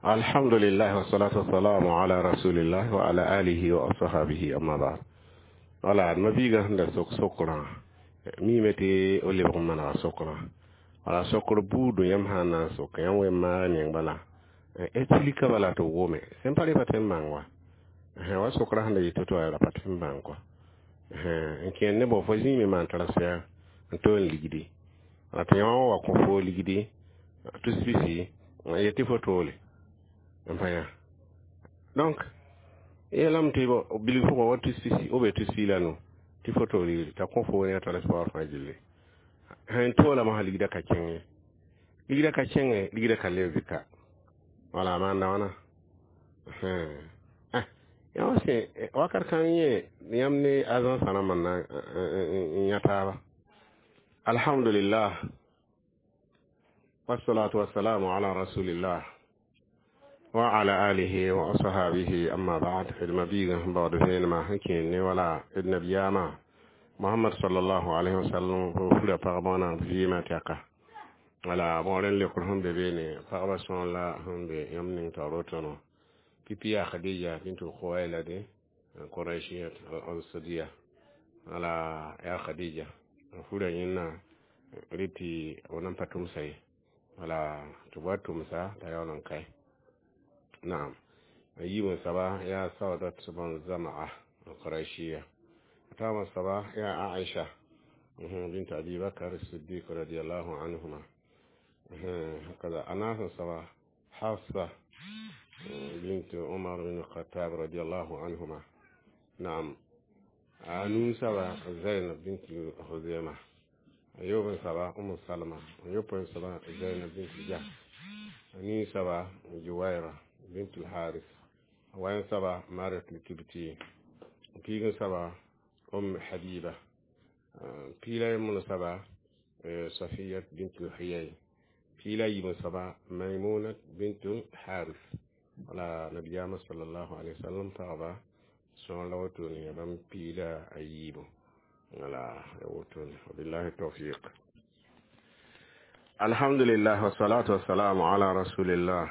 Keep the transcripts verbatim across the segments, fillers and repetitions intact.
Alhamdulillah wassalatu wassalamu ala rasulillah wa ala alihi wa ashabihi, amma ba'd. Wala mabiga sẽn da sok sokrã miime tɩ o lebg n manega sokrã. Wala sokr buudũ yãmb sã n na n sok yãmb wen maag meng bala explika bala tɩ b wome sẽn pa re pa tõe n bãng wa wa sokrã sẽn da yɩ to-to wa ra pa tõe n bãng kɔa n kẽer ne bõ fo zĩime maan transfert n tool ligdi wala tɩ yã wã wa kõ foo ligdi tus pisi n yet tɩ fo toole n pa yã. Donc yeelame tɩ bilg pʋgã wa tus pisi ou bien tus pii la nu tɩ fo tool ligdi t'a kõ foo ne a transport fãa gilli sẽn toolame sã ligdã ka kẽng ye, ligdã ka kẽnge, ligdã ka leb bɩ ka wala maanda wãna. Yã wã sẽ wakat kãng yẽ yãmb ne agence rãmbã n na n yã taaba. Alhamdulillah wassalatu wassalamu ala rasulillah wa ala alihi wa ashabihi, amma ba'd. D mabiigã sẽn baood vẽenemã sẽn kẽer ne wala d nabiyaamã Mohamad sallallahu alaihi wasallam fo fura pagba wãna vɩɩmã tɛka. Wala bõor n lekr sẽn be beene pagba sõor la sẽn be yãmb ning taoor wotone pipi yaa Khadija bintu Khuwaylad Quraishiyat al-Asadiya. Wala yaa Khadija fura yẽnna rɩ tɩ b nan pa tʋmsa ye, wala tɩ b wa tʋmsa t'a yaool n kae. Naam, a yiib soaba yaa Saudat bn Zamaa al-Quraishiya, taama soaba yaa Aisha bint Abi Bakr Siddiq radiyallahu anhuma hakaza. A naas soaba Hafsa bint Umar bin Khattab radiyallahu anhuma. Naam, a nuu soaba Zainab bint Huzaima, a yoob soaba Umu Salma, a yopoe soaba Zainab bint Jahsh, a nii soaba Juwaira bint al-Haris, a wayan soaba Mariat al-Kibti, piig soaba Um Habiba, piila yembr soaba Safiyat bint Huyay, piila yiib soaba Maimuna bint Haris. Wala nabiyaamã sallallahu alaihi wasallam pagba sõor la wotone ya bãmb piila a yiibu. Wala ya wotone. Wabillahi tawfiq. Alhamdulillah wassalatu wassalamu ala rasulillah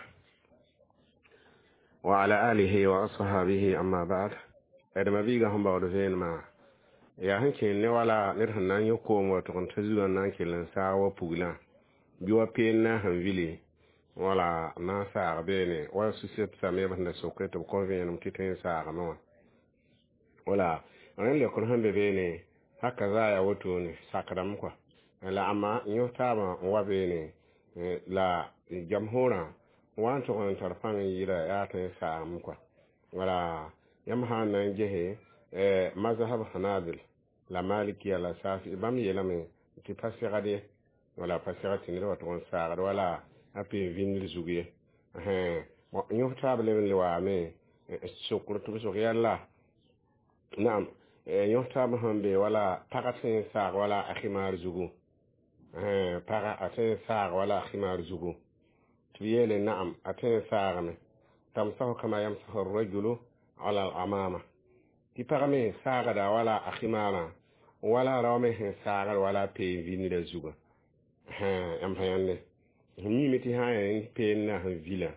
wa ala alihi wa ashabihi, amma ba'd. D mabiigã sẽn baood vẽenemã yaa sẽn kẽer ne wala ned sẽn na n yõ koom wa tʋg n ta zugã n na n kell n saag wa puglã bɩ wa peen na sẽn vili wala na n saag beene wa suset sameb sẽn da soke tɩ b kõ vẽenem tɩ tõe n saagame wã. Wala rẽnd lekr sẽn be beene haka zaa yaa wotone sakdame kɔa la ãmma yõs taabã n wa beene la jamsʋrã wa n tʋg n tar pãng n yɩɩda yaa tõe n saagame kɔa. Wala yãmb sã n na n gese mazhab Hanabil la Malikiya la Safi, bãmb yeelame tɩ pa segd ye, wala pa segd tɩ ned wa tʋg n saagd wala a peen vĩndr zug ye. Yõs taab leb n le waame sokr tɩ b sok yalla. Naam, yõs taab sẽn be wala pagã tõe n saag wala a khimar zugu, pagã a tõe n saag wala a khimar zugu, tɩ b yeele naam, a tõe n saagame, tamsahu kama yamsahu rajulu ala al-amama, tɩ pag me saagda wala a khimarã wala rao me sẽn saagd wala peen vĩndrã zugã. Yãmb pa yãnde sẽn miime tɩ sã n yaa peen na sẽn vilã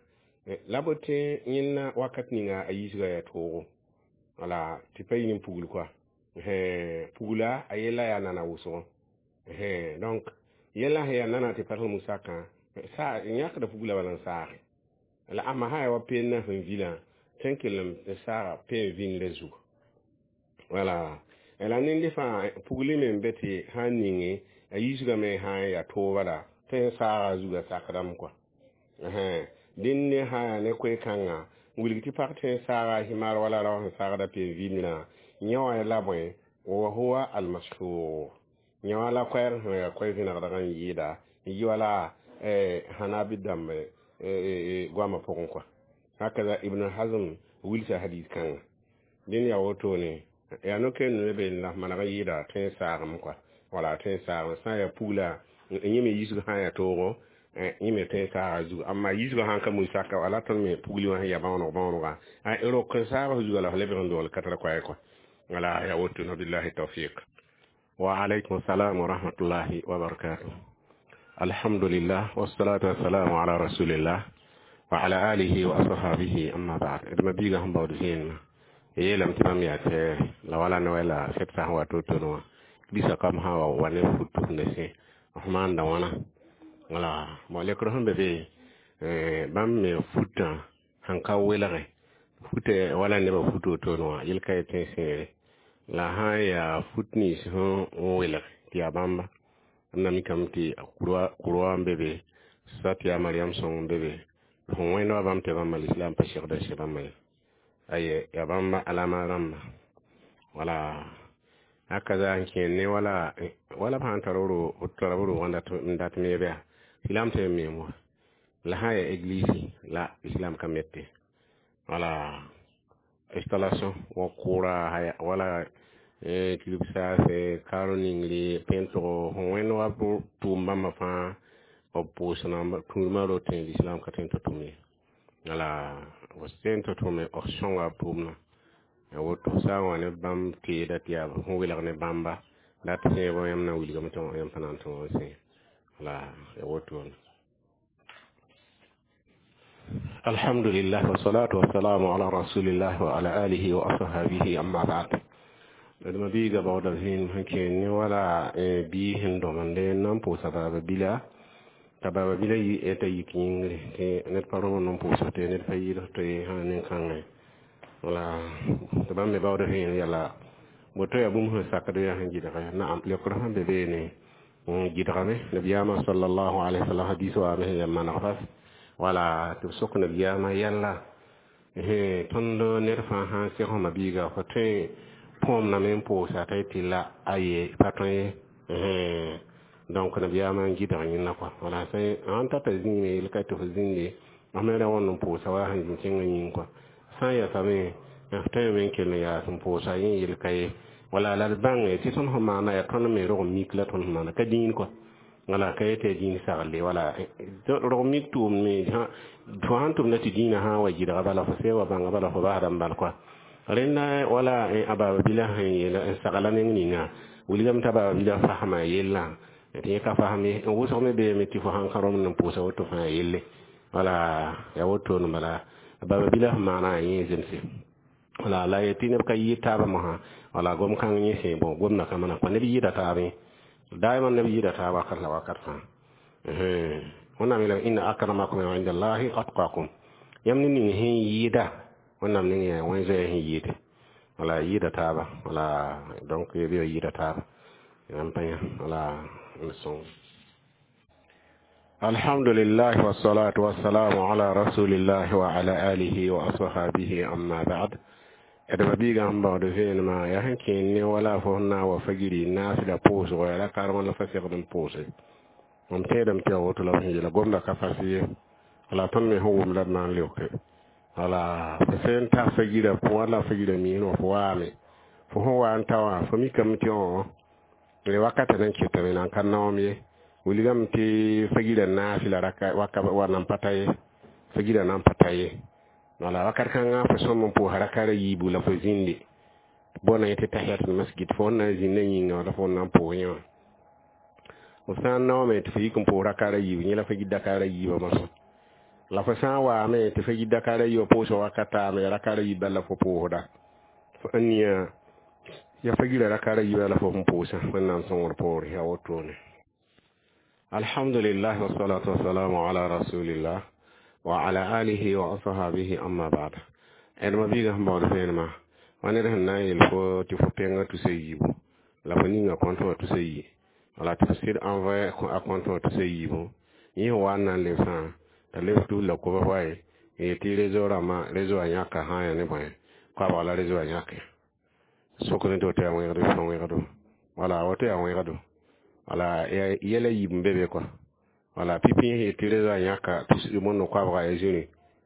la b tẽ yẽnna wakat ninga a yisga yaa toogo wala tɩ pa yɩ ne pugl kɔa pugla a yella yaa nana wʋsgo. Donc yella sẽn yaa nana tɩ pa tɩ musakã yãkda pugla bala n saage la ãmba sã yaa wa peen na sẽn vilã tõe n kell n saaga peen vĩndrã zugu. Wala la nende fãa pugli me n be tɩ sã n ninge a yisgame sã n yaa tooba la tõe n saaga a zugã sakdame kɔa. Dẽnd ne sã yaa ne koe-kãngã wilg tɩ pag tõe n saaga a himar wala rao sẽn saagda peen vĩndrã yẽ wã la bõe wa huwa almashhur yẽ wã la koɛɛg sẽn yaa koɛ vẽnegdg n yɩɩda n yɩ wala hanabi dãmb goamã pʋgẽ kɔa. Hakaza Ibn Hazm wilsa hadis kãnga. Dẽnd yaa wotone yaa no-kend ne be la maneg n yɩɩda tõe n saagame kɔa, wala tõe n saagame sã n yaa pugla yẽ me yisg sã n yaa toogo yẽ me tõe n saaga zugu. Amma yisgã sãn ka musaka wala tõnd me pugli wã sẽn yaa bãooneg bãoonega rok n saag zuga la f lebg n dogl ka tara koɛɛ kɔa. Wala yaa woto. Billahi tawfiq. Wa alaykum salam wa rahmatullahi wa barakatuh. Alhamdulillah wassalatu wassalamu ala rasulillah. وعلى آله وأصحابه أما بعد إذا بيغا هم بعد زين yeelame tɩ bãmb yaa tɩ la wala ne la sɛd sã n wa to-to wã bisa kam sã wa wa ne fut tʋmda sẽ f maanda wãna wala bon lekr sẽn be be bãmb me futã sẽn ka welge futã wala nebã fut wotone wã yel ka yetẽ sẽere la sã n yaa fut nins sẽn welg tɩ yaa bãmba b na mikame tɩ kurwa n be be sat yaa mariam sõng n be be sẽn wẽnd wa bãmb tɩ bãmba lislam pa segda sẽ bãmba ye aye ya bãmba alama rãmba wala haka za n kẽer ne wala wala b sãn tar tara b roog n dat me bɩa islam tɩ me wa la sã n yaa église la islam ka mete wala installation wa kʋʋra wala kilb saase kaaro ningre pẽntgo sẽn wẽnd wa tʋʋm bãmba fãa b pʋʋsdã tũudmã rotẽ l'islam ka tõe n tɩ tʋm ye wala b tõe n tɩ tʋme b sõnga b tʋʋmdã woto sã n wa ne bãmb teeda tɩ yaa sẽn welg ne bãmba la tɩ sẽeb yãmb na wilgame tɩ yãmb pa na n tõog n sẽ wala ya wotone الحمد لله والصلاة والسلام على رسول الله وعلى آله وأصحابه أما بعد d mabiiga baooda zĩig sẽn kẽer ne wala bii sẽn dõmende n na n pʋʋsa baaba bila t'a baaba bila t'a yik yĩngre tɩ ned pa rõmd n pʋʋsg tɩ ned pa yɩɩd tɩ sã nin-kãngẽ wala tɩ bãmb me baooda zĩig yala woto yaa bũmb sẽn sakd yaa sẽn gɩdge naam leokr sẽn be beene gɩdgame nabiyaamã sallallahu alaihi wasallam hadis waame sẽn yaa maneg fas wala tɩ b sok nabiyaamã yɛlla tõnd ned fãa sã n seg fõ mabiiga fo tõe põomdame n pʋʋsa t'a yetɩ la aye pa tõe ye donc nabiyaamã n gɩdg yẽnda kɔa wala sãn tata zĩime yel ka tɩ fo zĩnde f me ra wãnd n pʋʋsa wa sẽn zĩ kẽngã yĩng kɔa sã n yasame f tõeme n kell n yaas n pʋʋsa yẽ yel ka ye wala la d bãnge tɩ tõnd sẽn maana yaa tõnd me rog mik la tõnd sẽn maana ka dĩin kɔa wala ka yetɩ dĩin sagle wala rog mik tʋʋmd me fo sãn tʋmda tɩ dĩinã sã n wa gɩdga bala fo see wa bãnga bala fo basda n bal kɔa rẽnda wala a baaba bila sẽn yeela n sagla neng ninga wilgame t'a baaba bila fasma yellã tɩ yẽ ka fasm ye n wʋsg me beeme tɩ fo sãn ka rõmd n pʋʋsa woto fãa yelle wala ya wotone bala baaba bila sẽn maana yẽ zemse wala la yetɩ neb ka yɩɩd taabã mosã wala gom kãng yẽ sẽ bon gomda ka mana kõ neb yɩɩda taabẽ daima neb yɩɩda taab wakat la wakat fãa wẽnnaam yeelame inna akramakum inda allahi atqakum yãmb ne ning sẽn yɩɩda wẽnnaam ning yaa wẽn zoɛɛ sẽn yɩɩde wala yɩɩda taaba wala donc bɩ yɩɩda taaba yãmb pa yã wala n sõng الحمد لله والصلاة والسلام على رسول الله وعلى آله وأصحابه أما بعد d mabiigã sẽn baood vẽenemã yaa sẽn kẽer ne wala fo sẽn na n wa fagiri naasda pʋʋsgo yaa la karem la fa segd n pʋʋse mam tẽedame tɩ yaa woto la b sẽn yeela gomda ka fas ye wala tõnd me sẽn wʋm la d na n leoke wala fo sẽn ta fagira pʋgã la fagira miisẽ wã fo waame fo sẽn wa n ta wã fo mikame tɩ õ wakatã nan ketame nan ka naoom ye wilgame tɩ fagira naasi la raka waka wa nan pa ta ye fagira nan pa ta ye wala wakat kãngã fo sõm n pʋʋsa rakara yiibu la fo zĩnde bõna yetɩ tahiyatul masjid fo sẽn na n zĩnda yĩnga wala fo na n pʋʋs yẽ wã f sã n naoome tɩ fo yik n pʋʋs rakara yiibu yẽ la fo yit dakara yiibã mosã la fo sã n waame tɩ fo yit dakara yiibã pʋʋsg wakat taame rakara yiib bala fo pʋʋsda n nia ya fagira rakara yiibã la fo sẽn pʋʋsã wẽnnaam sõngr poore yaa wotone alhamdulillah wasalatu wasalamu ala rasulillah wa ala alihi wa ashabihi amma ba'd d mabiigã sẽn baood vẽenemã wa ned sẽn na n yel fo tɩ fo pẽngã tusa yiibu la fo ninga kõnt wã tusa yi wala tɩ fo sɩd envoyé a kõnt wã tusa yiibu yẽ sẽn wa n na n lebsã t'a leb tus la koba wae n yetɩ réseau rãmbã réseau wã yãka sã n yaa ne bõe koabg la réseau wã yãke sok ne tɩ woto yaa wẽgdo fo wẽgdo wala woto yaa wẽgdo wala yɛla yiib n be be kɔa wala pipi yẽ tɩ réseau wã yãka tus mondo koabga ya zĩri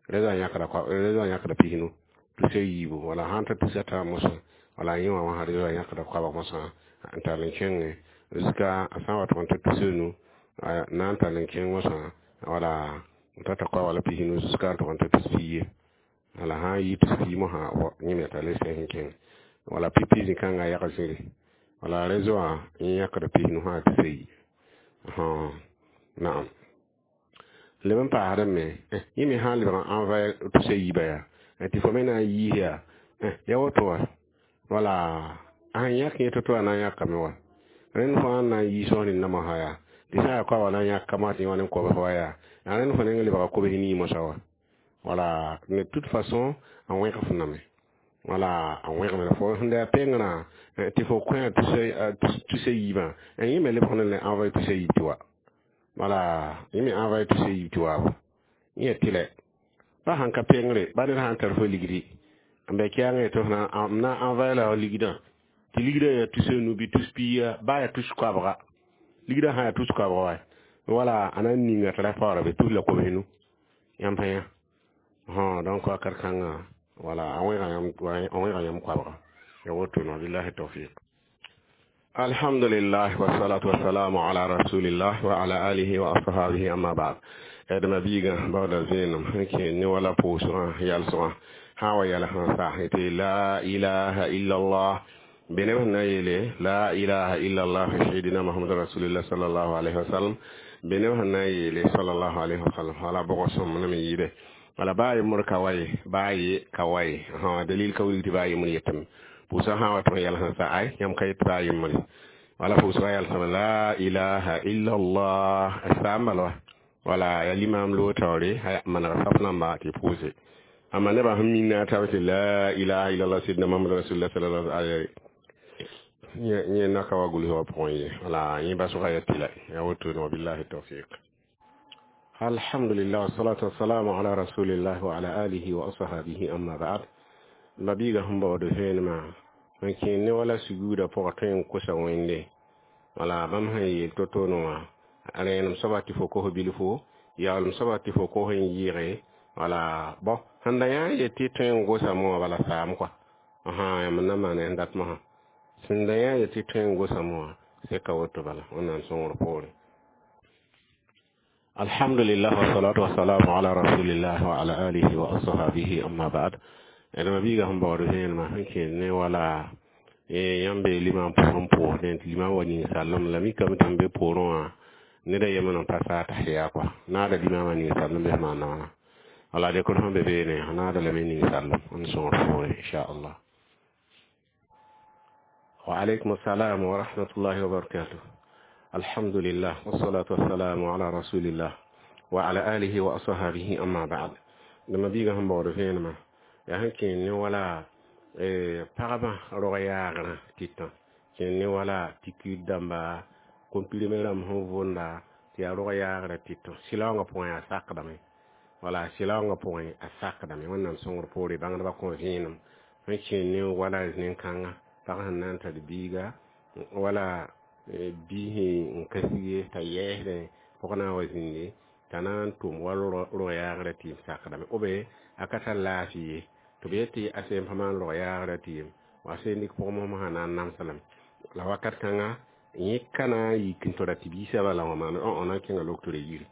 réseau wã yãkda réseau wã yãkda pisnu tusa yiibu wala sãn ta tusa tã mosã wala yẽ wã wã réseau wã yãkda koabg mosã n tall n kẽnge jusqu'à a sã n wa tʋg n ta tusa nu na n tall n kẽng mosã wala n tata koabg la pisnu jusqu'à n tʋg n ta tus pii ye wala sã n yi tus pii mosã yẽ me tall n sẽs n kẽng wala pipi zĩ-kãngã yag zĩri wala réseau wã yẽ yãkda pisnu sã tusa yi naam Leb n paasdame yẽ me sã n lebg n envoyer tusa yiibã yaa tɩ fo me na n yiis yaa ya woto wa wala a sẽn yãk yẽ to-to a na n yãkame wa rẽnd fãa n na n yiis sẽn rẽndã mosã yaa tɩ sã n yaa koabga na n yãk ka mosã tɩ yẽ wa ne kobs wa yaa yaa rẽnd fo neng lebga kobs nii mosã wa wala de toute façon a wẽg f name wala a wẽgame la fo sẽn da yaa pengrã tɩ fo kõ tusa yiibã yẽ me lebg ne envoyer tusa yiib tɩ wa wala yẽ me envoyer tusa yiib tɩ waabo yẽ tɩlɛ ba sãn ka pengre ba ned sã n tar fo ligdi n bɛ kɛɛngẽ tɩ f na n na envoyer la ligdã tɩ ligdã yaa tus nu bɩ tus piiga baa yaa tus koabga ligdã sã yaa tus koabga wa wala a na n ninga tɩ ra paoora be tus la kobs nu yãmb pa yã donc wakat kãngã wala a wẽga yãmb a wẽga yãmb koabga ya woto no billahi tawfiq alhamdulillah wassalatu wassalamu ala rasulillah wa ala alihi wa ashabihi amma ba'd d mabiiga baoda vẽenem sẽn kẽ ne wala pʋʋsgã yalsgã sã wa yɛl sẽn sa tɩ la ilaha illallah be neb sẽn na n yeele la ilaha illallah sayidina muhammad rasulillah sallallahu alaihi wasallam be neb sẽn na n yeele sallallahu alaihi wasallam wala bʋgã sõm ne me yɩɩde wala baa yembr ka wa ye baa ye ka wa ye dalil ka wilg tɩ baa yembr yetame pʋʋsgã sã n wa tɩ yɛl sẽn sa ay yãmb ka yet baa yembre wala pʋʋsgã yɛlsame la ilaha illallah a saam bala wa wala ya limam lo taoore maneg saf namba tɩ pʋʋse amma nebã sẽn minna t'a tɩ la ilaha illallah sidna muhammad rasulillah sallallahu alaihi yẽ naka wa gʋls wã pʋgẽ ye wala yẽ basgã ya tɩla ya woto wa billahi tawfiq alhamdulillah wassalatu wassalamu ala rasulillah wa ala alihi wa ashabihi amma ba'd mabiiga sẽn baood vẽenemã n kẽ ne wala suguudã pʋgã tõe n kosa wẽnde wala bãmb sẽn yeel to-to-ne wã rẽenem soaba tɩ fo kos bilfo yaoolem soaba tɩ fo kos n yɩɩge wala bõ sẽn da yã n yet tɩ tõe n gosame wã bala saam kɔa yãmb n na maan sẽn dat mosã sẽn da yã yet tɩ tõe n gosame wã seka woto bala wẽnnaam sõngr poore alhamdulillah wassalatu wassalamu ala rasulillah wa ala alihi wa ashabihi amma ba'd d mabiiga sẽn baood vẽenemã sẽn kẽ ne wala yãmb bee limam pʋgẽ pʋʋsdẽ tɩ limam wa ninsaalem la mikame tɩ m be poorẽ wã ned a yembr n pa saa tahiya kɔa naada limamã ninsaalem bɩ sẽn maan wãna wala dekr sẽn be beene naada lame ninsaalem n sõngr poore inchallah wa alaikum assalam wa rahmatullahi wa barakatuh alhamdulillah wassalatu wassalamu ala rasulillah wa ala alihi wa ashabihi amma ba'd d mabiiga sẽn baood vẽenemã yaa sẽn kẽ ne wala pagba rog yaagrã tɩtã kẽ ne wala tikir dãmba comprimé rãmb sẽn vʋnda tɩ yaa rog yaagrã tɩtã sɩlaoongã pʋgẽ yaa sakdame wala sɩlaoongã pʋgẽ a sakdame wẽnnaam sõngr poore bãngdbã kõ vẽenem sẽn kẽ ne wala nen-kãnga pag sẽn na n tar biiga wala biisẽ n ka sig t'a yɛɛsdẽ pʋg na n wa zĩnde t'a na n tʋm wa rog yaagrã tɩ yem sakdame b a ka tar laafɩ ye tɩ b yet tɩ a sẽn pa maan rog yaagrã tɩ yem wa sẽn dɩk pʋg mosã na n namsa lame la wakat kãnga yẽ ka na n yik n tɩ ra tɩ biisã bala wã maan õ na n kẽnga loktore yiri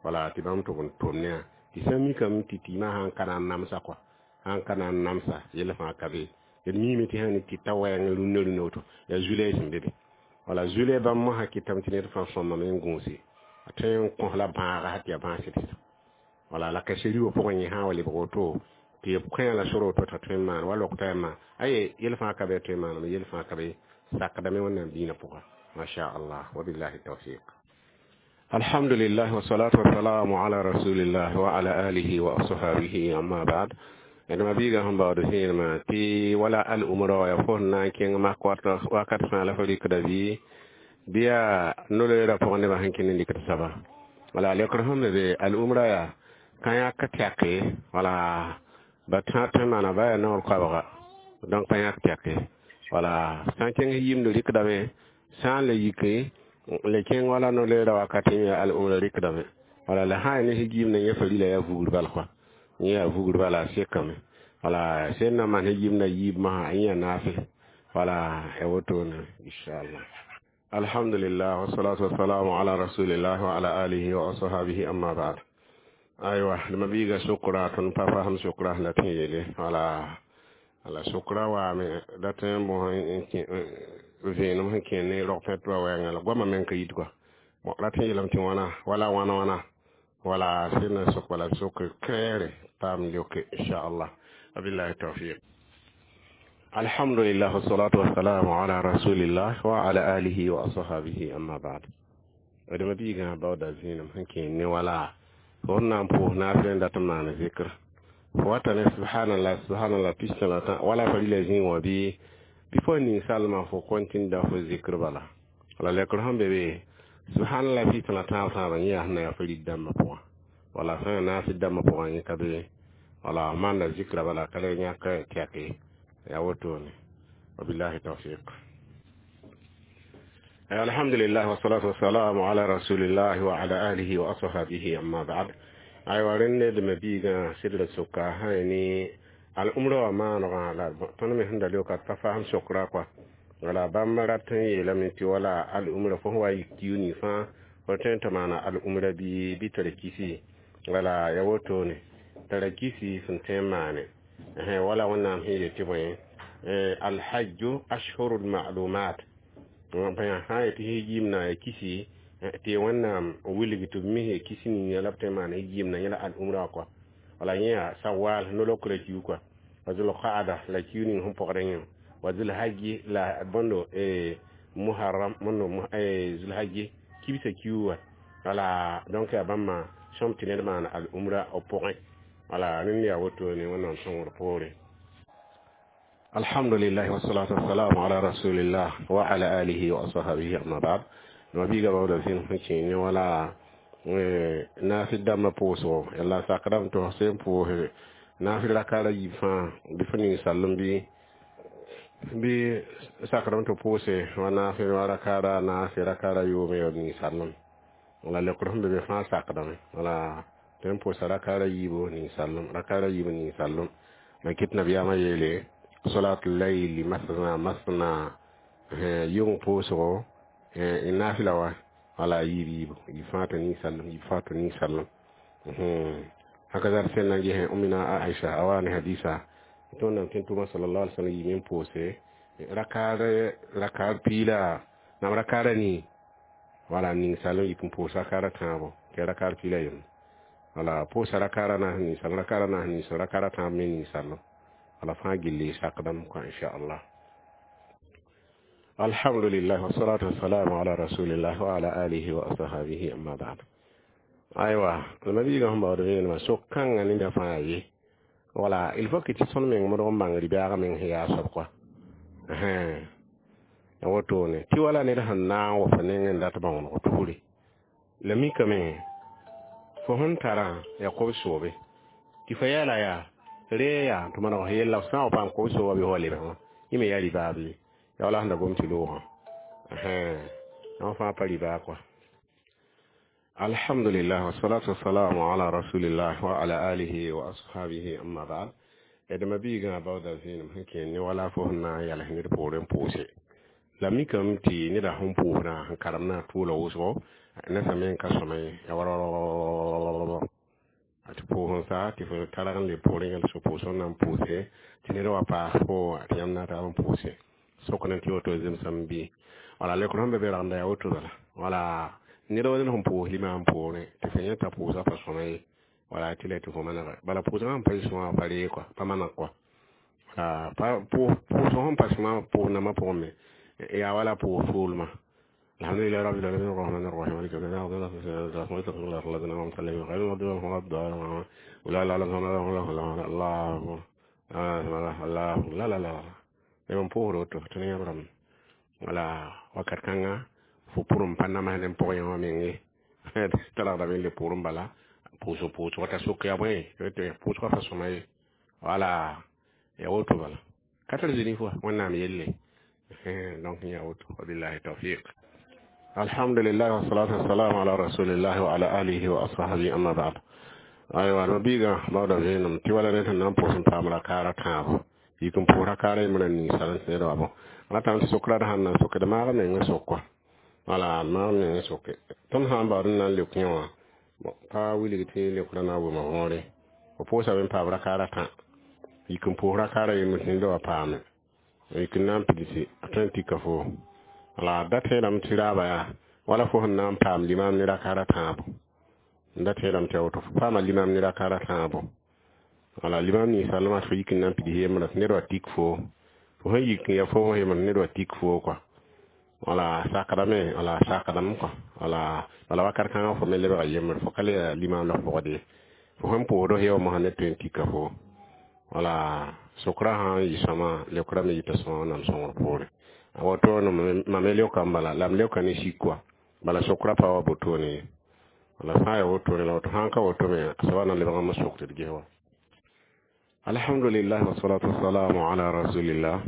wala tɩ bãmb tʋg n tʋm ne yã tɩ sã n mikame tɩ tɩɩmã sãn ka na n namsa kɔa sãn ka na n namsa yell fãa ka be d miime tɩ sã ne tɩ ta wɛɛng rũnnã rũnnã woto yaa zulɛ sẽn be be wala zulɛ bãmb mosã kɩtame tɩ ned fãa sõmame n gũuse a tõe n kõs la bãaga sã tɩ yaa bãas sɩd wala la ka-seri wã pʋgẽ yẽ sã n wa lebg woto tɩ b kõ la sor woto t'a tõe n maan wa lok taɛmã aye yel fãa ka be tõe n maaname yel fãa ka be sakdame wẽnnaam diinã pʋga masha allah wabillahi tawfiq alhamdulillah wassalatu wassalamu ala rasulillah wa ala alihi wa ashabihi amma ba'd d mabiiga sẽn baood vẽenemã tɩ wala al umra wa yaa fo sẽn na n kẽng mak wakat fãa la fo rɩkda bɩ bɩ yaa no-loeerã pʋgẽ nebã sẽn kẽnd n rɩkd soaba wala lekr sẽn be be al umra yaa ka yãk tɛke wala ba tã tõe n maana ba yaa naoor koabga donc pa yãk tɛke wala sã n kẽng yimd rɩkdame sã n le yike le kẽng wala no-loeerã wakat yẽ yaa al umra rɩkdame wala la sã n yaa ne sẽn gimd yẽ fa rila yaa vugr bal kɔa yẽ yaa vugr bala a sekame wala sẽn na maan sẽn yimd yiib masã yẽ yaa naafe wala ya wotone inchallah alhamdulillah wassalatu wassalamu ala rasulillah wa ala alihi wa ashabihi amma ba'd aywa d mabiiga sokra tõnd pa fasem sokra sẽn dat n yeele wala la sokra waame dat n bõs vẽenem sẽn kẽ ne rog pẽt wa wɛɛngã la goamã meng ka yit kɔa bon rat n yeelame tɩ wãna wala wãna wãna Wala sẽn sok bala sok kɛɛre paam leoke inchallah. Wabillahi tawfiq. Alhamdulillah, wassalatu wassalamu ala rasulillah wa ala alihi wa ashabihi, amma ba'd. Adama biigã baooda zĩinem sẽn kẽ ne wala fo sẽn na n pʋʋs naafɩl n dat n maan zikr fo wata ne subhanallah subhanallah pistã la tã wala fa rila zĩig wã bɩ bɩ fo ninsalmã fo kɔntĩnda fo zikr bala wala lekr sẽn be be subhanallah pistã la tãab tãabã yẽ yaa sẽn na yaa fa rid dãmbã pʋgã wala sã yaa naafɩl dãmbã pʋgã yẽ ka be wala maanda zikra bala ka le yãk tɛke yaa wotone. Wabillahi tawfiq. Alhamdulillah, wassalatu wassalamu ala rasulillah wa ala alihi wa ashabihi, amma ba'd. Aywa, rẽnd d ma biigã sɩdra soka sã ne al-umra wã maanegã la tõnd me sẽn da leoka pa fasem sokra kɔa wala bãmb rat n yeelame tɩ wala al-umra fo sẽn wa yik kiu ning fãa fo tõe n tɩ maana al-umra bɩ bɩ tara kisi wala ya wotone tara kisi sẽn tõe n maane wala Wẽnnaam sẽn yet tɩ bõe alhajju ashhurul ma'lumat sã yetɩ yimna ya kisi tɩ Wẽnnaam wilg tɩ b mis kisi ning la b tõe n maana yimna yẽla al-umra wã kɔa wala yẽ yaa sawal nolokrã kiu kɔa wa zulqaada la kiu ning sẽn pɔgdã yẽ wa zulhajji la bõndo muharram mondo zulhajji kibsã kiu wã wala. Donc yaa bãmba sõm tɩ ned maana al-umra b pʋgẽ wala rẽnd yaa wotone Wẽnnaam sõngr poore. Alhamdulillah, wassalatu wassalamu ala rasulillah wa ala alihi wa ashabihi, amma ba'd. Ma biiga baooda zĩn sẽn kẽ ne wala naafɩl dãmbã pʋʋsgo la sakdame tɩ f sẽn pʋʋs naafɩl rakaara yiib fãa bɩ fo ninsallem bɩ bɩ sakdame tɩ pʋʋse wa naafɩl wa rakaara naase rakaara yoome ya ninsallem wala lekr sẽn be be fãa sakdame wala tɩ n pʋʋsa rakaara yiibo ninsallem rakaara yiibo ninsallem la kɩt nabiyaamã yeele salatul layli masna masna yʋng pʋʋsgo naafɩla wa wala yiib yiibo yib fãa tɩ ninsallem yib fãa tɩ ninsallem haka zar sen na ges umina Aisha a wa ne hadisa tɩ Wẽnnaam tẽn tʋʋma sallallahu alaihi wasallam yɩɩm n pʋʋse rakaar rakaar piila nam rakaara nii wala ninsallem yip n pʋʋs rakaara tãabo tɩ rakaar piila yem wala pʋʋsa rakaara naas ninsallem rakaara naas ninsallem rakaara tãab me ninsallem wala fãa gilli sakdame kõ inchallah. Alhamdulillah, wassalatu wassalamu ala rasulillah wa ala alihi wa ashabihi, amma ba'd. Aywa, ma biiga sẽn baood vẽenemã sok kãngã neda fãa ye wala il faut que tɩ tõnd meng modg n bãng rɩ-bɛɛg meng sẽn yaa soab kɔa ya wotone tɩ wala ned sẽn na n wa fo nengẽ n dat bãooneg tusre la mikame fo sẽn tarã yaa kob-soobe tɩ fo yɛɛla yaa ree yaa tɩ maneg f yella f sã n wa paam kob-sooba bɩ fo lebg wã yẽ me yaa rɩ-baa bɩ ya wala sẽn da gom tɩ loogã yã fãa pa rɩ-baa kɔa. Alhamdulillah, wassalatu wassalamu ala rasulillah wa ala alihi wa ashabihi, amma ba'd. D ma biigã baooda zĩinem sẽn kẽ ne wala fo sẽn na n yals ned poorẽ pʋʋse la mikame tɩ neda sẽn pʋʋsdã sẽn karemdã tʋʋla wʋsgo nesa me n ka sõma ye ya warwar tɩ pʋʋs n sa tɩ fo targ n le poorẽ yãl so pʋʋs n na n pʋʋse tɩ ned wa paas fo tɩ yãmb na taab n pʋʋse sokd n tɩ woto zemsame bɩ wala lekr sẽn be be ragenda yaa woto bala wala ned wa ned sẽn pʋʋs limaam poorẽ tɩ fo yẽta pʋʋsã pa sõma ye wala tɩ la tɩ fo manega bala pʋʋsgã sẽn pa sõma pa ree kɔa pa maneg kɔa wala pʋʋsg sẽn pa sõma pʋʋs nambã pʋgẽ me yaa wala pʋʋs soolmã. الحمد لله رب العالمين الرحمن الرحيم مالك يوم الدين ولا لا لا لا الله الله لا لا لا n pʋʋsd woto tɩ ne yãmb wala wakat kãnga fo pʋrem pa namsd n pʋg yã wã meng ye talgdame n le pʋʋrẽ bala pʋʋsg pʋʋsg t'a sok yaa bõe pʋʋsgã pa sõma ye wala ya woto bala ka tar zĩni fo Wẽnnaam yelle. Donc ya woto. Wabillahi tawfiq. Alhamdulillah, wassalatu wassalamu ala rasulillah wa ala alihi wa ashabihi, amma ba'd. Aywa, ma biiga baooda vẽenem tɩ wala ned sẽn na n pʋʋs n paam rakaara tãabo yik n pʋʋs rakaara yembra ninsal n sẽed wa bõ ratame tɩ sokra d sãn na n sokd maag meng sok kɔa wala maag meng soke tõnd sã n baood n na n leok yẽ wã pa wilg tɩ leokra na n wʋma võore fo pʋʋsame n paam rakaara tã yik n pʋʋs rakaara yembr tɩ ned wa paame yik n na n pidsi a tõe n tika fo wala da tẽedame tɩ raaba yaa wala fo sẽn na n paam limaam ne rakaara tãabo. N da tẽedame tɩ a woto fo paama limam ne raka ra tãabo. Wala limam ninsã lama tɩ fo yik n na n pids yembrã tɩ ned wa tik foo. Fo sẽn yik n ya fo yembr ned wa tik foo kɔa. Wala sakdame, wala sakdame kɔa. Wala bala wakat kãngã fo me lebga yembr, fo ka le yaa limam la f pʋgd ye. Fo sẽn pʋʋsd f yaoomã ned tõe n tika fo. Wala sokra sã n yɩ sõama, leokrã me yɩta sõama Wẽnnaam sõngr poore. A woto mam me leokame bala la m leoka ne sik kɔa. Bala sokra pa wa wotone ye. Wala sã n yaa wotone la woto sã n ka woto me soaba na lebg n sok tɩ d ges wa. Alhamdulillah wa salatu wassalamu ala rasulillah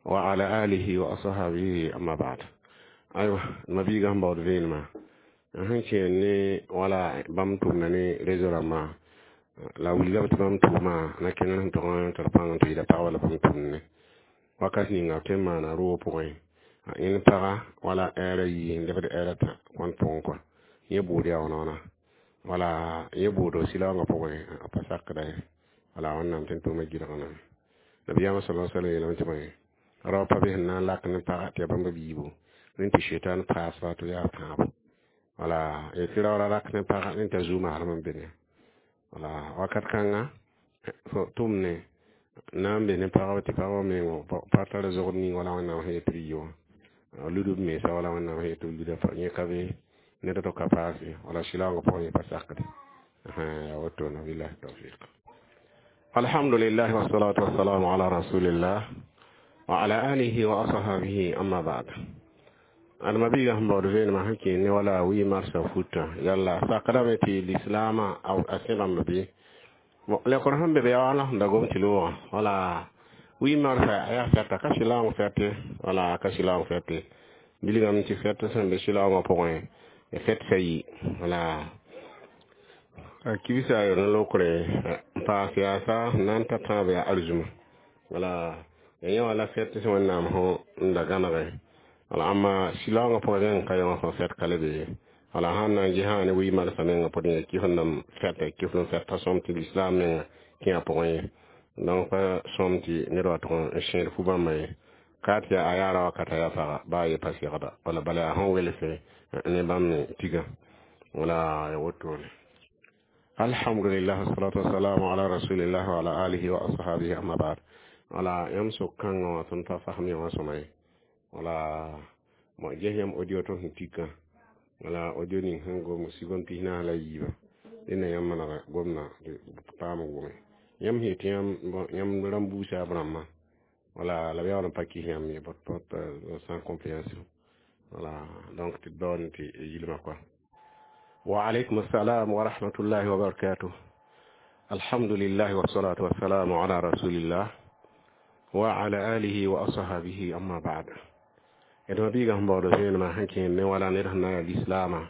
wa ala alihi wa ashabihi, amma ba'd. Aywa, mabiiga sẽn baood vẽenemã sẽn kẽer ne wala bãmb tʋmda ne réseau rãmbã la wilgame tɩ bãmb tʋʋmã na kẽnd sẽn tog n tar pãng n tɩ yɩla pagba la bãmb tʋmd ne wakat ninga b tõe n maana roog pʋgẽ yẽnd paga wala ɛɛra yii n lebd ɛɛra tã kõn pʋgẽ kɔa yẽ bʋʋd yaa wãna wala yẽ bʋʋdo sɩlaoongã pʋgẽ a pa sakda ye. Wala Wẽnnaam tõe n tʋʋma gɩlgname. Nabiyaamã sala sallam yeelame tɩ bõe rao pa be sẽn na n lak ne paga tɩ yaa bãmb biibo rẽnd tɩ shetan paasba tɩ yaa tãabo. Wala tɩ raoora rak ne paga rẽnd t'a zuu maasem n be ne. Wala wakat kãnga fo tʋm ne na n be ne pagba tɩ pagba meng pa tar zogd ning wala Wẽnnaam sẽn yet tɩ b yɩ wã lud b mensa wala Wẽnnaam sẽn yet tɩ b luda yẽ ka be ned to ka paase. Wala sɩlaoongã pʋgẽ yẽ pa sakde yaa wotone. Billahi tawfiq. Alhamdulillah wa salatu wa salamu ala rasulillah wa ala alihi wa ashabihi, amma ba'd. Adama biiga sẽn baood vẽenemã sẽn kẽer ne wala wi marsã futã yalla sakdame tɩ lislaamã a sẽbame bɩ lekr sẽn be be yaa wala sẽn da gom tɩ loogã wala wi marsã yaa fɛta ka sɩlaoong fɛte wala ka sɩlaoong fɛte bilgame tɩ fɛt sẽn be sɩlaoongã pʋgẽ fɛt sa yi wala a kibsa a yon lokre n paas yaasa na n ta tãab yaa arzuma wala ya yẽ wala fɛt sẽn Wẽnnaam sõ n da gãnege wala amma sɩlaoongã pʋgẽ rẽng ka yõ sẽn fɛt ka le be ye. Wala sãn na n ges ne wi marsã mengã pʋgẽ ya kɩf n nam fɛta kɩf n fɛta sõm tɩ lislaam menga kẽ a pʋgẽ ye. Donc pa sõm tɩ ned wa tʋg n sẽed fu-bãmba ye ka tɩ a yaa ra wakata yaa paga baa ye pa segda wala bala yaa sẽn welse ne bãmb me tiga wala ya wotone. Alhamdulillah, wassalatu wassalamu ala rasulillah wa ala alihi wa ashabihi, amma ba'd. Wala yãmb sok kãngã wã tõnd pa fasem yã wã sõma ye. Wala mo ges yãmb audio tɩ sẽn tikã wala audio ning sẽn gom sigom pis naas la yiibã dẽnda yãmb manega gomdã tɩ paam wʋme yãmb sẽn yetɩ yãmb rãmb buusa b rãmbã wala la b yaool n pa kɩs yãmb ye sans compréhension. Wala donc tɩ d baood tɩ yilmã kɔa. وعليكم السلام ورحمة الله وبركاته. الحمد لله والصلاة والسلام على رسول الله وعلى آله وأصحابه، أما بعد. إذا بيغا هم بعد زين ما هنكين ne wala ned sẽn na ya lislaamã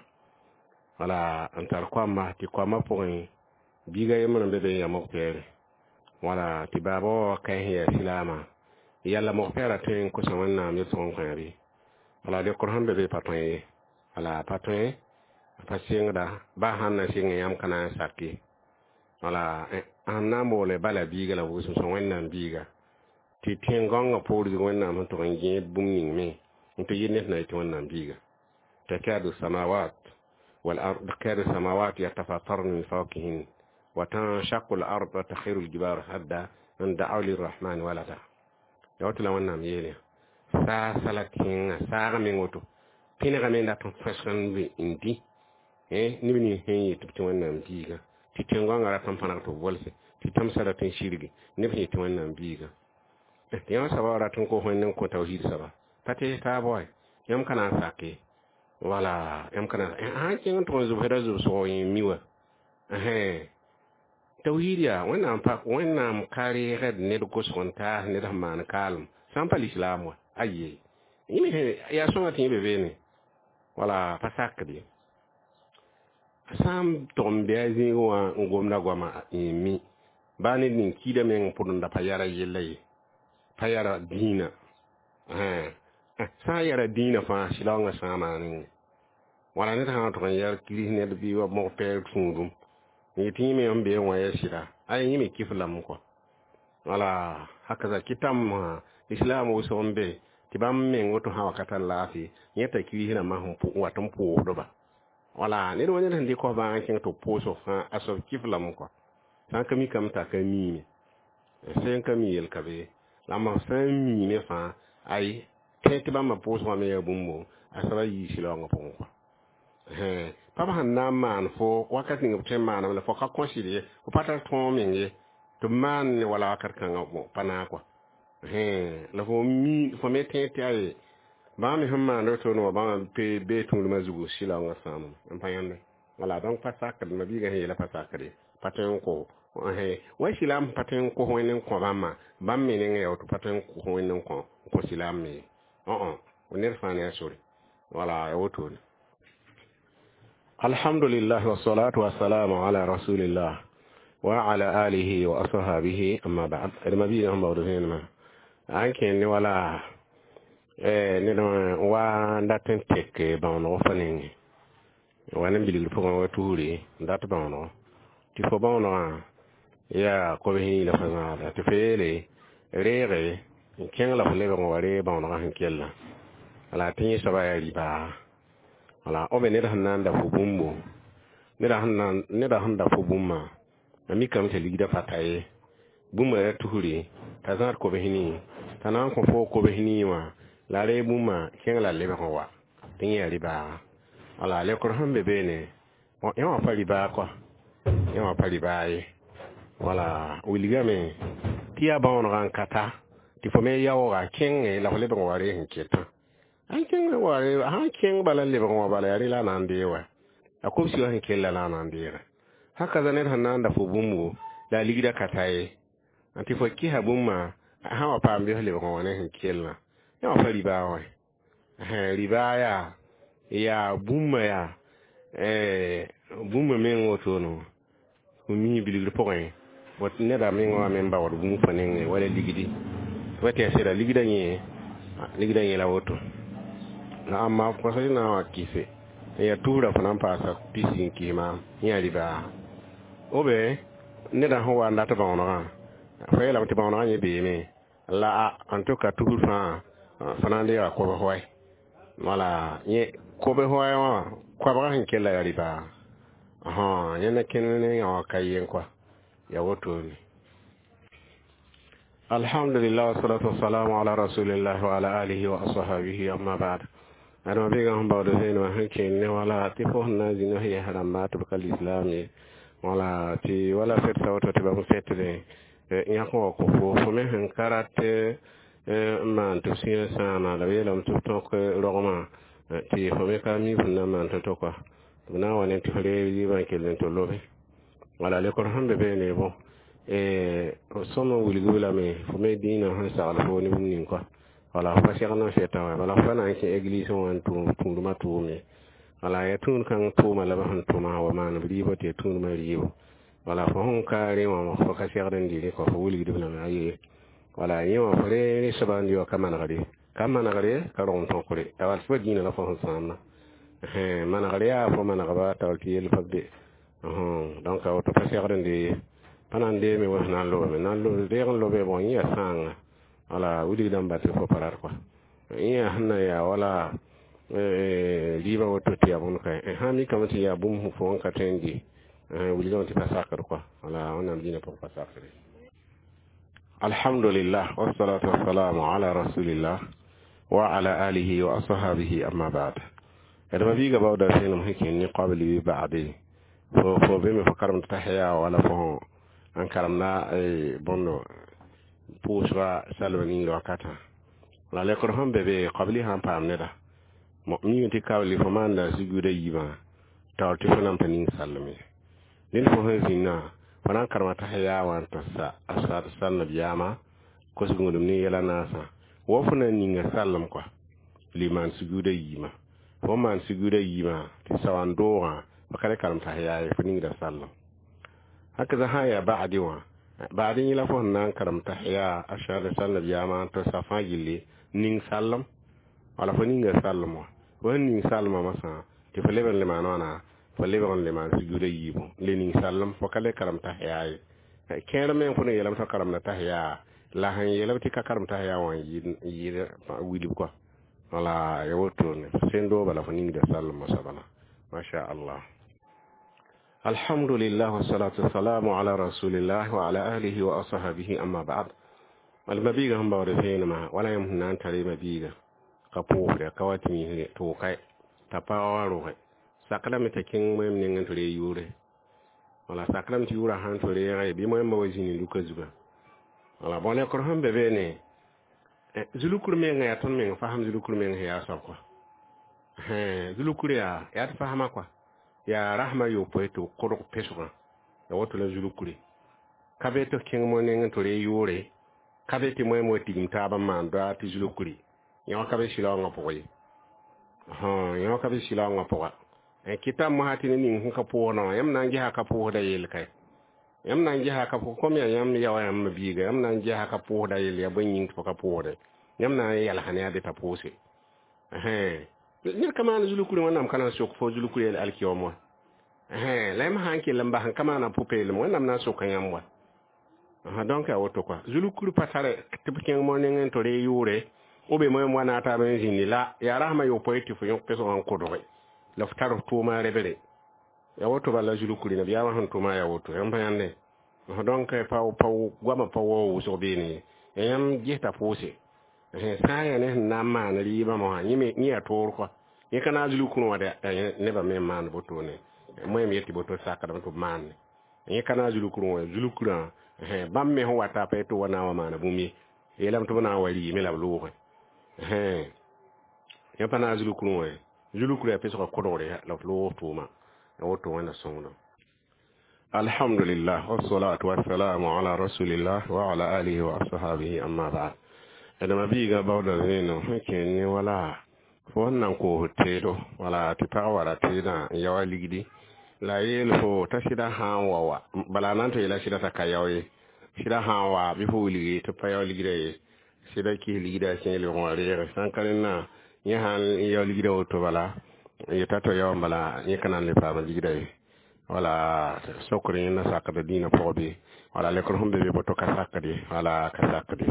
wala n tar koamba tɩ koambã pʋgẽ biiga yembr n be be n ya mog-pɛɛre wala tɩ baaba wa ka sẽn yaa silaamã yalla mog-pɛɛrã tõe n kosa Wẽnnaam yetɩg n kõ bɩ wala lekr sẽn be be pa tõe ye wala pa tõe pa sɩngda ba sãn na sɩng yãmb ka na n sake wala sẽn na n boole bala biiga la wʋsem sẽn Wẽnnaam biiga tɩ tẽn-gãongã poor zug Wẽnnaam sẽn tʋg n gẽed bũmb ning me n tɩ yɩ ned na yetɩ Wẽnnaam biiga. تكاد السماوات والأرض تكاد السماوات يتفطرن من فوقهن وتنشق الأرض وتخر الجبال هدا أن دعوا للرحمن ولدا yawtɩ la Wẽnnaam yeele saasa la tẽngã saagã meng woto pẽnegame n dat n fõsg n dĩ neb nins sẽn yet tɩ Wẽnnaam biiga tɩ tẽn-gãongã rat n pãneg tɩ b bolse tɩ tãmsã rat n sirge neb sẽn yetɩ Wẽnnaam biiga tɩ yãmb soaba rat n kos Wẽnd n kõ tawhiid soaba pa tɩ taab wa yãmb ka na n sake wala yãmb ka na sãn kẽng n tʋg n zʋbsda zʋbsg yẽ mi wa tawhiid yaa Wẽnnaam pa Wẽnnaam ka reegd ned gosg n taas ned sẽn maan kaalem sã n pa lislaam wa aye yaa sõma tɩ yẽ be beene wala pa sakd ye sã n tʋg n bɩ a zĩig wã n gomda goama yẽ mi baa ned ning kiida meng pʋd n da pa yara yella ye pa yara dĩinã sã n yara dĩinã fãa sɩlaoongã sã maanẽ wala ned sã n tʋg n yɛr kiris ned bɩ wa mog-pɛɛr tũudum n yetɩ yẽ me n bee wã ya sɩda ay yẽ me kɩf lame kɔ wala hakaza kɩtãmb islam wʋsg n be tɩ bãmb meng woto sã wakata laafɩ yẽta kiris rãmbã sẽn wat n pʋʋsdba Wala ned wa ned sẽn dɩk f bãag n kẽng tɩ b pʋʋs f fãa a soab kɩf lame kɔa sã n ka mikame t'a ka miime sẽn ka mi yel ka be la m sã n miime fãa ay tẽ tɩ bãmba pʋʋsgã me yaa bũmbo a soaba yii sɩlaoongã pʋgẽ kɔa pa b sẽn na n maan fo wakat ning b tõe n maaname la fo ka kõsd ye fo pa tar tõog meng ye tɩ b maan ne wala wakat kãngã pa naag kɔa la fo mi fo me tẽ tɩ aye bãmb me sẽn maand woto wã bãmb pe bee tũudmã zugu sɩlaoongã sãamame n pa yãnde wala donc pa sakd ma-biigã sẽn yeela pa sakd ye pa tõe n kos wa sɩlaam pa tõe n kos wẽnd n kõ bãmbã bãmb me nengã yaa woto pa tõe n kos wẽnd n kõ n kõ sɩlaam me ye ned fãa ne a sore wala ya wotone alhamdulillah wassalatu wassalamu ala rasulillah wa ala alihi wa ashabihi amma ba'd d ma-biigã sẽn baood vẽenemã an kẽnd ne wala ned wa n dat n tek bãonego fo nengẽ wa ne bilgr pʋgẽ wa tusre n dat bãonego tɩ fo bãonegã yaa kobs yĩ la fo zãada tɩ fo yeele reege n kẽng la fo lebg n wa reeg bãonegã sẽn kellã wala tɩ yẽ soaba yaa rɩbaa wala b ned sẽn na n da fo bũmbo neda sẽn da fo bũmbã a mikame tɩ ligdã pa ta ye bũmba yaa tusre t'a zãad kobs nii t'a na n kõ fo kobs nii wã la reeg bũmba kẽng la lebg n wa tɩ yẽ yaa rɩbaaga wala lekr sẽn be beene yẽ wã pa rɩbaa kɔa yẽ wã pa rɩbaa ye wala wilgame tɩ yaa bãonegã n ka ta tɩ fo me yaooga kẽngẽ la fo lebg n wa reeg sẽn ketã sãn kẽng wa sãn kẽng bala n lebg n wã bala yaa rẽ la a na n deeg wa a kobsi wã sẽn kella la a na n deega haka za ned sẽn na n da fo bũmbo la a ligdã ka ta ye tɩ fo kɩsa bũmbã sã wa paam bɩs lebg n wa ne sẽn kellã yẽ wã pa ribaa wã ribaa yaa yaa bũmba yaa bũmba meng wotono fo mi bilgr pʋgẽ neda meng wã me n baood bũmb fo nengẽ wala ligdi wa tɩ ya sɩda ligdã yẽ ligdã yẽ la woto la amma kõsa na n wa kɩse n yaa tusrã fo na n paasa pisi n kɩs maam yẽ yaa ribaa obe neda sẽn wa n dat bãonegã fo yeelame tɩ bãonegã yẽ beeme la a en tout cas tusr fãa fo na n deega kobs wae wala yẽ kobs wae wã koabga sẽn kella yaa ribaa yẽnda kẽnd ne yã wã ka yen kɔa ya wotone alhamdulillah wassalatu wassalamu ala rasulillah wa ala alihi wa ashabihi amma ba'd adama biga sẽn baood vẽenemã sẽn kẽnd ne wala tɩ fo sẽn na n zĩnd f yɛs rãmba tɩ b ka lislaam ye wala tɩ wala fɛtsa woto tɩ bãmb fɛtdẽ yãk n wa kõ fo fo me sẽn ka rat n maan tɩ b sũyã sãama la b yeelame tɩ b tõk rogmã tɩ fo me ka mi fõn na n maan to-to kɔa tɩ b na n wa ne tɩ f reeg rɩɩbã n kell n tɩ lobe wala lekr sẽn be beene bõ sõm n wilg lame fo me dĩinã sẽn sagl fo ne bũmb ning kɔa wala fo pa segd n fɛtã wã bala fo pa na n kẽ église wã n tũudmã tʋʋm ye wala yaa tũud kãng tʋʋma la b sẽn tʋma wa maan b rɩɩbã tɩ yaa tũudmã rɩɩbo wala fo sẽn ka rẽ wã fo ka segd n dɩ rẽ kɔ fo wilgdb lame aye wala yẽ wã fo re soaba n dɩ wa ka manegre ka manegre ka rog n tõkre wala tɩ fa dĩinã la fo sẽn sãamna manegr yaa fo manegba taoor tɩ yell pa be donc a woto pa segd n dee pa na n deeme wã sẽn na n lobame na n lob deeg n lobe bon yẽ yaa sãanga wala wilgdã n bat tɩ fo pa rat kɔa yẽ yaa sẽn na yaa wala rɩɩbã woto tɩ yaa bõnd ka sã n mikame tɩ yaa bũmb fo n ka tõe n dɩ wilgame tɩ pa sakd kɔa wala wẽnnaam dĩinã pʋgẽ pa sakre alhamdulillah wassalatu wassalamu ala rasulillah wa ala alihi wa ashabihi amma ba'd adama biiga baooda vẽenem sẽn kẽnd ne qabli ba'de fo fo be me fo karemd tahiya wala fo n karemda bõndo pʋʋsga salma ning wakatã la lekr sẽn be be qabli sã n paam neda mi tɩ kabli fo maanda sujuuda yiibã taoor tɩ fo na n pa ning sallem ye ned fo sẽn zĩnnã fo na n karema tahiya wã n tɩ sa a sal nabiyaamã kos gũudum ne yɛla naasã wa fo na n ninga sallem kɔa le maan sujuuda yiimã fo maan sujuuda yiimã tɩ sawan doogã fo ka le karem tahiya ye fo ningda sallem haka za sã n yaa ba'di wã ba'di yẽ la fo sẽn na n karem tahiya a sal nabiyaamã n tɩ sa fãa gilli ning sallem wala fo ninga sallem wã fo sẽn ning salmã masã tɩ fo leb n le maan wãna fo lebg n le maan sujuuda yiibu le ning sallem fo ka le karem tahiya ye kẽer meng fo ne yeelame tɩ karemda tahiya la sẽn yeelame tɩ ka karem tahiya wã n yɩɩd wilb kɔa wala ya wotone sẽn dooba la fo ningda sallem moasã bala. Masha Allah. Alhamdulillah wassalatu wassalamu ala rasulillah wa ala alihi wa ashabihi, amma ba'd. Al mabiga sẽn baood vẽenemã wala yãmb sẽn na n tar mabiiga ka pʋʋsdɛ ka wa tɩ misre tɩ wʋka t'a paga wã roge sakrame t'a kẽng moɛm nengẽ tɩ ree yʋʋre wala sakrame tɩ yʋʋrã sãn tɩ reege bɩ moɛmbã wa zĩni luka zuga wala bõ lekr sẽn be beene zulukr menga yaa tõnd meng fasem zulukr meng sẽn yaa soab kɔa zulukr yaa yaa tɩ fasma kɔa yaa rasmã yopoe tɩ b kodg pesgã ya woto la zulukre ka be tɩ kẽng mo nengẽ tɩ ree yʋʋre ka be tɩ moɛm wa tigim taab n maan doa tɩ zulukre yõ ka be sɩlaoongã pʋgã ye yõ ka be sɩlaoongã pʋga kɩta mosã tɩ ne ning sẽn ka pʋʋsdã wã yãmb na n gesa ka pʋʋsda yell kae yãmb na n gesa ka pʋʋs kom yaa yãmb yaoã yãmb biiga yãmb na n gesa ka pʋʋsda yell yaa bõe yĩng tɩ fo ka pʋʋsdɛ yãmb na n yalsa ne a be t'a pʋʋse ned ka maan zulukre wẽnnaam ka na n sok fo zulukr yell alkiyoom wã la yãmb sã n kell n bas n ka maana pʋ-peelem wẽnnaam na n soka yãmb wa donc yaa woto kɔa zulukr pa tare tɩ b kẽng mo nengẽ tɩ ree yʋʋre b be moɛm wa na taab n zĩndi la yaa rasmã yopoe tɩ fo yõk pesgã n kodge la f tar f tʋʋma rebere ya woto bala zulukri nabiyaamã sẽn tʋma ya woto yãmb pa yãnde donc pa pa goamã pa wao wʋsg beene ye yãmb gesta pʋʋse sã n yaa ne sẽn na n maan rɩɩbã mosã yẽ yaa toor kɔa yẽ ka naag zulukurẽ wã nebã me n maan wotone moɛm yetɩ boto sakdame tɩ b maanne yẽ ka naag zulukurẽ wã zulukurã bãmb me sẽn wata pa tɩ wa na n wa maana bũmb ye yeelame tɩ b na n wa rɩɩme la b loogẽ yẽ pa naag zulukurẽ wã zulukurã yaa pesgã kodgre la f loog tʋʋma ya woto wẽnna sõngdo. Alhamdulillah wassalatu wassalamu ala rasulillah wa ala alihi wa ashabihi, amma ba'd. Adama biiga baooda vẽenem sẽn kẽ ne wala fo sẽn na n koos teedo wala tɩ pag wara teedã n yao a ligdi la yeel fo t'a sɩda sã n wa wa bala a na n tɩ yeela sɩda t'a ka yao ye sɩda sã n wa bɩ fo wilgi tɩ pa yao ligda ye sɩda kis ligda kẽ lebg wã reege sã n ka rẽnnã yẽ sã n yao ligda woto bala yeta to yao bala yẽ ka na n le paama ligda ye wala sokr yẽnda sakda dĩinã pʋgã bɩ wala lekr sẽn be be boto ka sakde wala ka sakde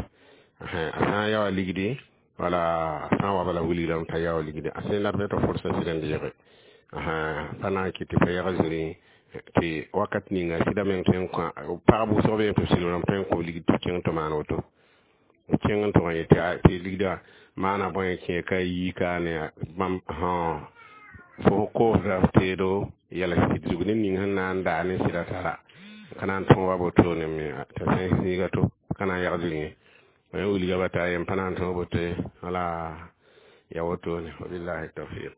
a sã n yaoa ligdi wala sã n wa bala wilgrame t'a yao ligdi a sẽn la b tɩ forsa sɩd n deege pa na n kɩt tɩ pa yag zĩri tɩ wakat ninga sɩda meng tõe n kõ pagb wʋsg be tɩ b silgrame tõe n kõ ligd tɩ kẽng tɩ maan woto kẽng n tʋg n yetɩ tɩ ligda maana bõe kẽ ka yi ka ne bãmb fo koosda f teedo yɛls tɩ zug ned ning sẽn na n daa ne sɩda tara ka na n tõog wa wotone me t'a sẽn zĩiga to ka na n yag zĩri ye yẽ wilga ba taa yẽm pa na n tõog boto ye wala ya wotone wabillahi tawfiq.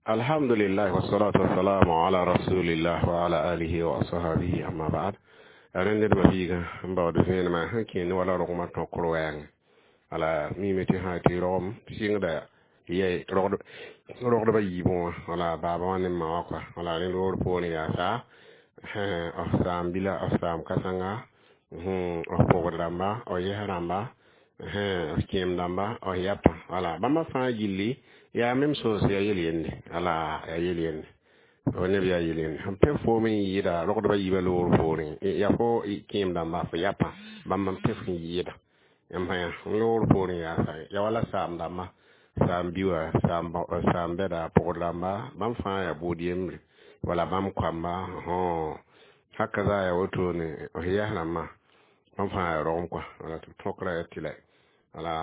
Alhamdulillah wassalatu wassalamu ala rasulillah wa ala alihi wa ashabihi, amma ba'd. Rẽnd d mabiiga n baood vẽenemã sẽn kẽ ne wala rogmã tõkr wɛɛngẽ wala mime tɩ sã tɩ rogem sɩngda yɛ rogdbã yiibẽ wã wala baaba wã ne ma wã kɔa wala rẽnd roor poorẽ yaa sa f saam bila f saam kãsenga f pʋgd rãmba f yɛs rãmba f kẽem dãmba f yapa wala bãmba fãa gilli yaa même chose yaa yel yende wala yaa yel yende fo neb yaa yel yende sẽn pẽ foom n yɩɩda rogdbã yiibã loor poorẽ yaa fo kẽem dãmba fo yapa bãmb n pẽ f n yɩɩda yãmb yã loor poorẽ yaa sa ya wala saam dãmba saam bi wã saam bɛda pʋgd rãmba bãmb fãa yaa bʋʋd yembre wala bãmb koamba haka za yaa wotone f yɛs rãmbã bãmb fãa yaa rogem kɔa wala tɩ b tõkra yaa tɩ la wala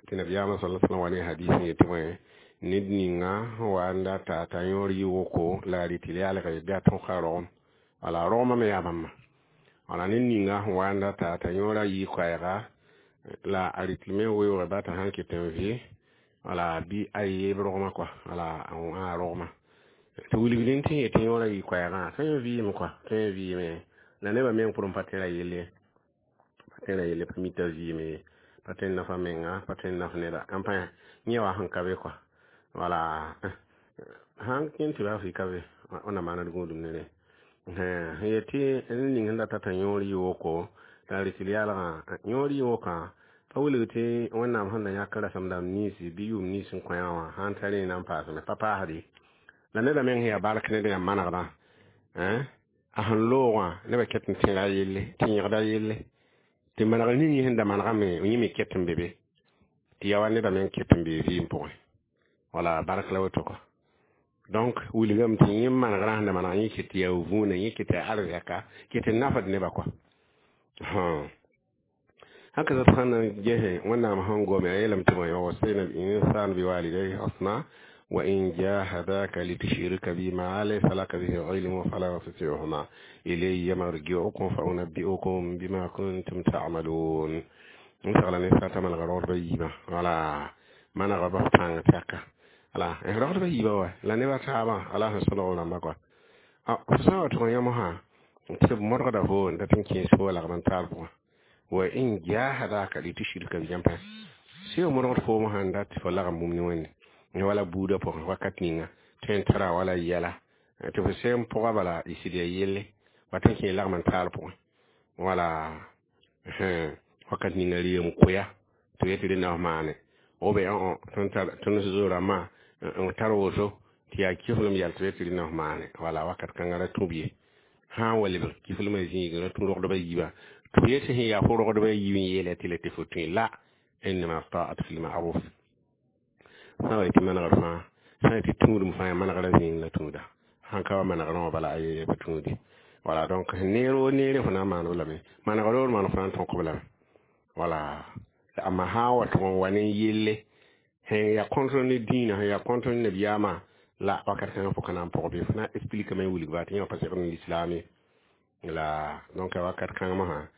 tɩ nabiyaamã sala sallam wa ne hadis n yetɩ bõe ned ninga sẽn wa n data t'a yõor yɩ woko la a rɩ tɩ yaalge bɩ a tõka rogem wala rogmã me yaa bãmba wala ned ninga sẽn wa n data t'a yõora yɩ koɛɛga la a rɩ tɩ me weoogã ba t'a sãn ket n vɩ wala bɩ a yeeb rogmã kɔa wala a rogmã tɩ wilgdẽ tɩ yetɩ yõora yɩ koɛɛgã tõe n vɩɩme kɔa tõe n vɩɩme la nebã meng pʋrẽ pa tẽra yelle pa tẽra yelle pa mita vɩɩme ye pa tõe n nafa menga pa tõe n naf neda n pa yẽ wa sẽn ka be kɔa wala sãn kẽn tɩ baa fɩ ka be wẽnnaam maana d gũudum ne rẽ sẽn yetɩ ned ning sẽn data t'a yõor yɩ woko la a rɩ tɩ yaalgã yõor yɩ wokã pa wilg tɩ wẽnnaam sẽn da yãk rasem dãmb ninsi bɩ yʋʋm nins n kõ yã wã sãn ta rẽ na n paasme pa paasde la neda meng sẽn yaa bark ned yãmb manegdã a sẽn loogã nebã ket n tẽra yelle tɩ yẽgda yelle tɩ manegr ning sẽn da manegame yẽ me ket n be be tɩ yaa wa neda meng ket n bee vɩɩm pʋgẽ wala bark la woto kɔ Donc wilgame tɩ yẽ manegrã sẽn da maneg yẽ ket tɩ yaa vũuna, yẽ ket tɩ yaa arzɛka, ket tɩ nafd nebã kɔa. Haka zat sãn na n gese Wẽnnaam sẽn gome, a yeelame tɩ bõe: ووصينا الإنسان بوالديه حسنا وإن جاهداك لتشرك بي ما ليس لك به علم فلا تطعهما إلي مرجعكم فأنبئكم بما كنتم تعملون. N segla ne sata manega rogdbã yiibã wala manega bas tãng tɛka ala rogdbã yiibã wa la nebã taabã ala sẽn sõlg rãmbã kɔa. F sã n wa tʋg yãmb sã tɩ b modgda fo n dat n kẽes fo lagm n taal pʋgã وإن جاهداك لتشرك بي yãmb sẽn modgd foom sãn dat tɩ fo lagm bũmb ne Wẽnde wala buudã pʋgẽ wakat ninga tõe n tara wala yɛla tɩ fo sẽn pʋga bala y sɩd ya yelle wat n kẽ lagm n taal pʋgẽ wala wakat ninga reem koya tɩ yetɩ rẽnda f maane o be tõnd zo rãmbã n tar woto tɩ yaa kiflem yɛl tɩ yetɩ rẽnda f maane wala wakat kãngã ra tũ b ye sã n wa lebg kiflmã zĩig ra tũ rogdbã yiibã tɩ f yetɩ sẽn yaa fo rogdbã yiib n yeela tɩ la tɩ fo tõe la إنما الطاعة في المعروف. Sã wa tɩ manegr fãa, sã n tɩ tũudum fãa manegrã zĩig la tũuda sãn ka wa manegrã wã bala a pa tũudi wala. Donc neer o neere fo na n maan b lame manegr roor maan fo na n tõk b lame wala. Amma sã n wa tʋg n wa ne yelle sẽn yaa contre ne dĩinã, sẽn yaa contre ne nabiyaamã la wakat kãngã fo ka na n pʋg bɩ fo na n expliqueme n wilg ba tɩ yẽ wã pa segd ne lislaam ye la. Donc wakat kãng mosã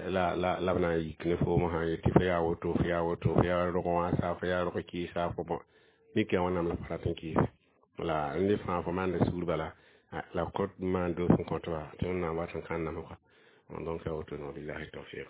la la la b na n yik ne foom sã yetɩ fo yaa woto, fo yaa woto, fo yaa rog wãsa, fo yaa rog kɩɩsa fo bõ mik yaa Wẽnnaam la fo rat n kɩɩse la n fãa fo maanda sugr bala la b kõt maan doos n kõt ba tɩ Wẽnnaam wat n kãn namsga. Donc yaa woto no, billahi tawfiq.